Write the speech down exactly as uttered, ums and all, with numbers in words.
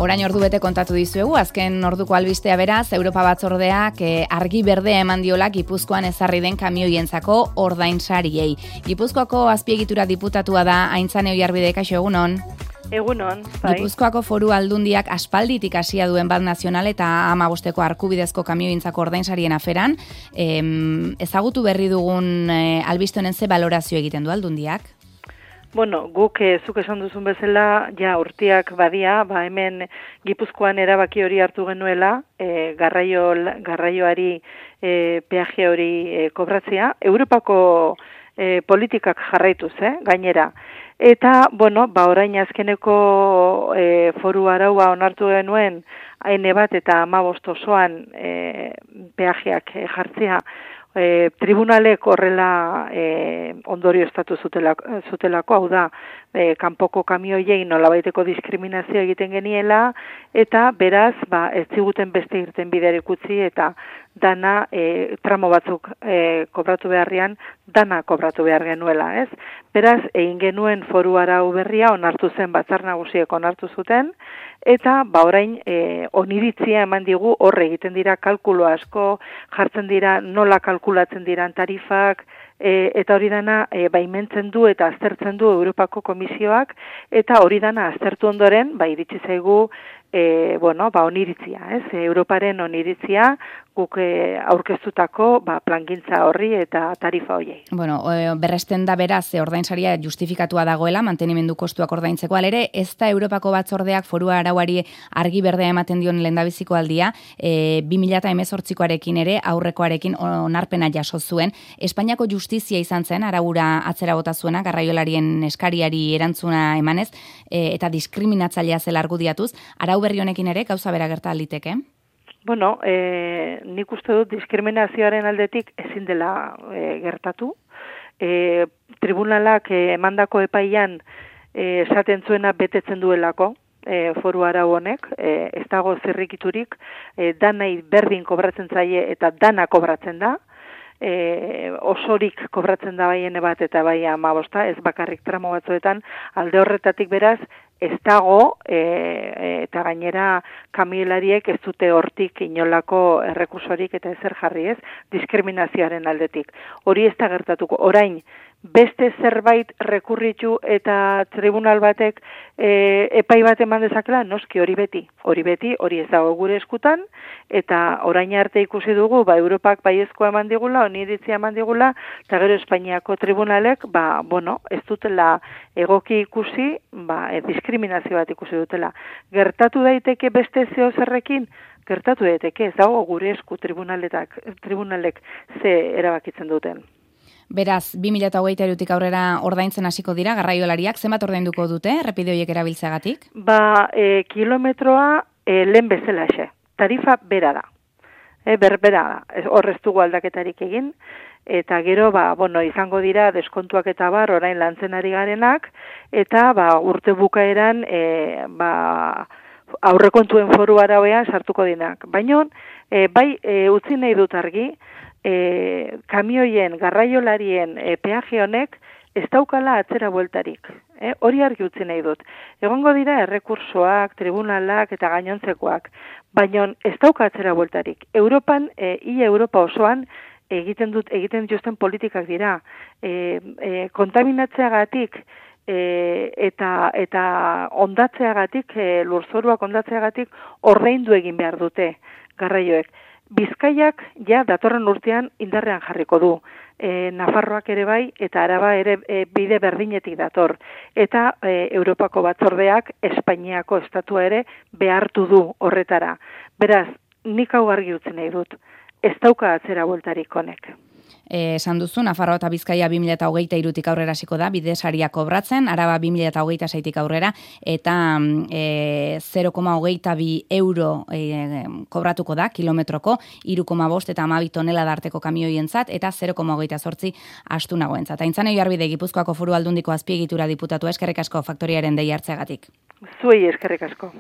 Orain ordu bete kontatu dizuegu, azken orduko albistea beraz, Europa Batzordeak eh, argi berdea eman diola Gipuzkoan ezarri den kamioientzako ordainsariei. Gipuzkoako azpiegitura diputatua da Aintzane Oiarbide, kaixo egunon. Egunon, bai. Gipuzkoako Foru Aldundiak aspalditik hasia duen bat nazional eta hamabosteko arkubidezko kamioientzako ordainsarien aferan, em, ezagutu berri dugun eh, albiste honen ze balorazio egiten du Aldundiak? Bueno, guk eh, zuk esan duzun bezala, ja urtiak badia, ba hemen Gipuzkoan erabaki hori hartu genuela, eh, garraio, garraioari eh, peaje hori eh, kobratzea, Europako eh, politikak jarraituz, eh, gainera. Eta, bueno, ba orain azkeneko eh, foru araua onartu genuen, haine bat eta hamabost osoan eh, peajeak eh, jartzea, E, tribunalek horrela e, ondorio estatu zutelako, zutelako, hau da, e, kanpoko kamioiei nolabaiteko diskriminazio egiten geniela, eta beraz, ba, ez ziguten beste irten biderik utzi, eta dana e, tramo batzuk e, kobratu beharrian, dana kobratu behar genuela, ez? Beraz, egin genuen foru arau berria, onartu zen batzar nagusiek onartu zuten, eta ba orain e, oniritzia eman digu horre egiten dira kalkulo asko, jartzen dira nola kalkulatzen diran tarifak, e, eta hori dana e, baimentzen du eta aztertzen du Europako Komisioak, eta hori dana aztertu ondoren, ba iritsi zaigu E, bueno, ba, oniritzia, ez? Europaren oniritzia guk e, aurkeztutako ba, plangintza horri eta tarifa hoiei. Bueno, berresten da beraz, ordainsaria justifikatua dagoela, mantenimendu kostuak ordaintzeko, alere, ez da Europako Batzordeak foru arauari argi berdea ematen dion lehendabiziko aldia, e, bi mila hemezortzikoarekin ere, aurrekoarekin onarpena jaso zuen. Espainiako justizia izan zen, araura atzera bota zuena, garraiolarien eskariari erantzuna emanez, e, eta diskriminatzailea zela argudiatuz, arau berri honekin ere, gauza bera gerta liteke? Bueno, e, nik uste dut diskriminazioaren aldetik ezin dela e, gertatu. E, tribunalak e, emandako epaian e, esaten zuena betetzen duelako, e, foru arau honek, e, ez dago zirrikiturik, e, danai berdin kobratzen zaie eta dana kobratzen da, e, osorik kobratzen da baiene bat eta bai hamabosta, ez bakarrik tramo batzuetan, alde horretatik beraz, ez dago, e, eta gainera kamioilariek ez dute hortik inolako errekursorik eta ezer jarri ez, diskriminazioaren aldetik. Hori ez da gertatuko. Orain, beste zerbait rekurritu eta tribunal batek e, epai bat eman dezakela, noski hori beti. Hori beti, hori ez dago gure eskutan, eta orain arte ikusi dugu, ba, Europak baiezkoa eman digula, oniritzia eman digula, eta gero Espainiako tribunalek, ba, bueno, ez dutela egoki ikusi, ba, e, diskriminazio bat ikusi dutela. Gertatu daiteke beste zeo zerrekin? Gertatu daiteke, ez dago gure esku tribunaletak, tribunalek ze erabakitzen duten. Beraz, bi mila hogeita hirutik aurrera ordaintzen hasiko dira garraiolariak, zenbat ordainduko dute errepide horiek erabiltzeagatik? Ba, e, kilometroa e, lehen bezalaxe. Tarifa bera da. E, berbera da. Horrez dugu aldaketarik egin. Eta gero, ba, bueno, izango dira deskontuak eta bar orain lantzen ari garenak, eta ba, urte bukaeran e, ba, aurrekontuen foru arauean sartuko dinak. Baina, e, bai, e, utzi nahi dut argi, E, kamioien, garraiolarien e, peaje honek ez daukala atzera bueltarik. E, hori argi utzi nahi dut. Egongo dira errekursoak, tribunalak eta gainontzekoak, baina ez dauka atzera bueltarik. Europan, e, ia Europa osoan, egiten dut egiten dituzten politikak dira. E, e, kontaminatzeagatik e, eta eta ondatzeagatik, e, lurzoruak ondatzeagatik ordaindu egin behar dute garraioek. Bizkaiak ja datorren urtean indarrean jarriko du. E, Nafarroak ere bai eta Araba ere e, bide berdinetik dator. Eta e, Europako Batzordeak Espainiako estatua ere behartu du horretara. Beraz, nik hau argi utzi nahi dut. Ez dauka atzera bueltarik honek. Esan duzu, Nafarroa eta Bizkaia bi mila hogeita hirutik aurrera hasiko da, bidesaria kobratzen, Araba bi mila hogeita seitik aurrera, eta e, zero koma hogeita bi euro e, kobratuko da, kilometroko, hiru koma bost eta hamabi tonela darteko kamioientzat, eta zero koma hogeita zortzi astu nagoentzat. Aintzane Oiarbide, Gipuzkoako Foru Aldundiko azpiegitura diputatua, eskerrik asko faktoriaren dei hartzeagatik. Zuei eskerrik asko.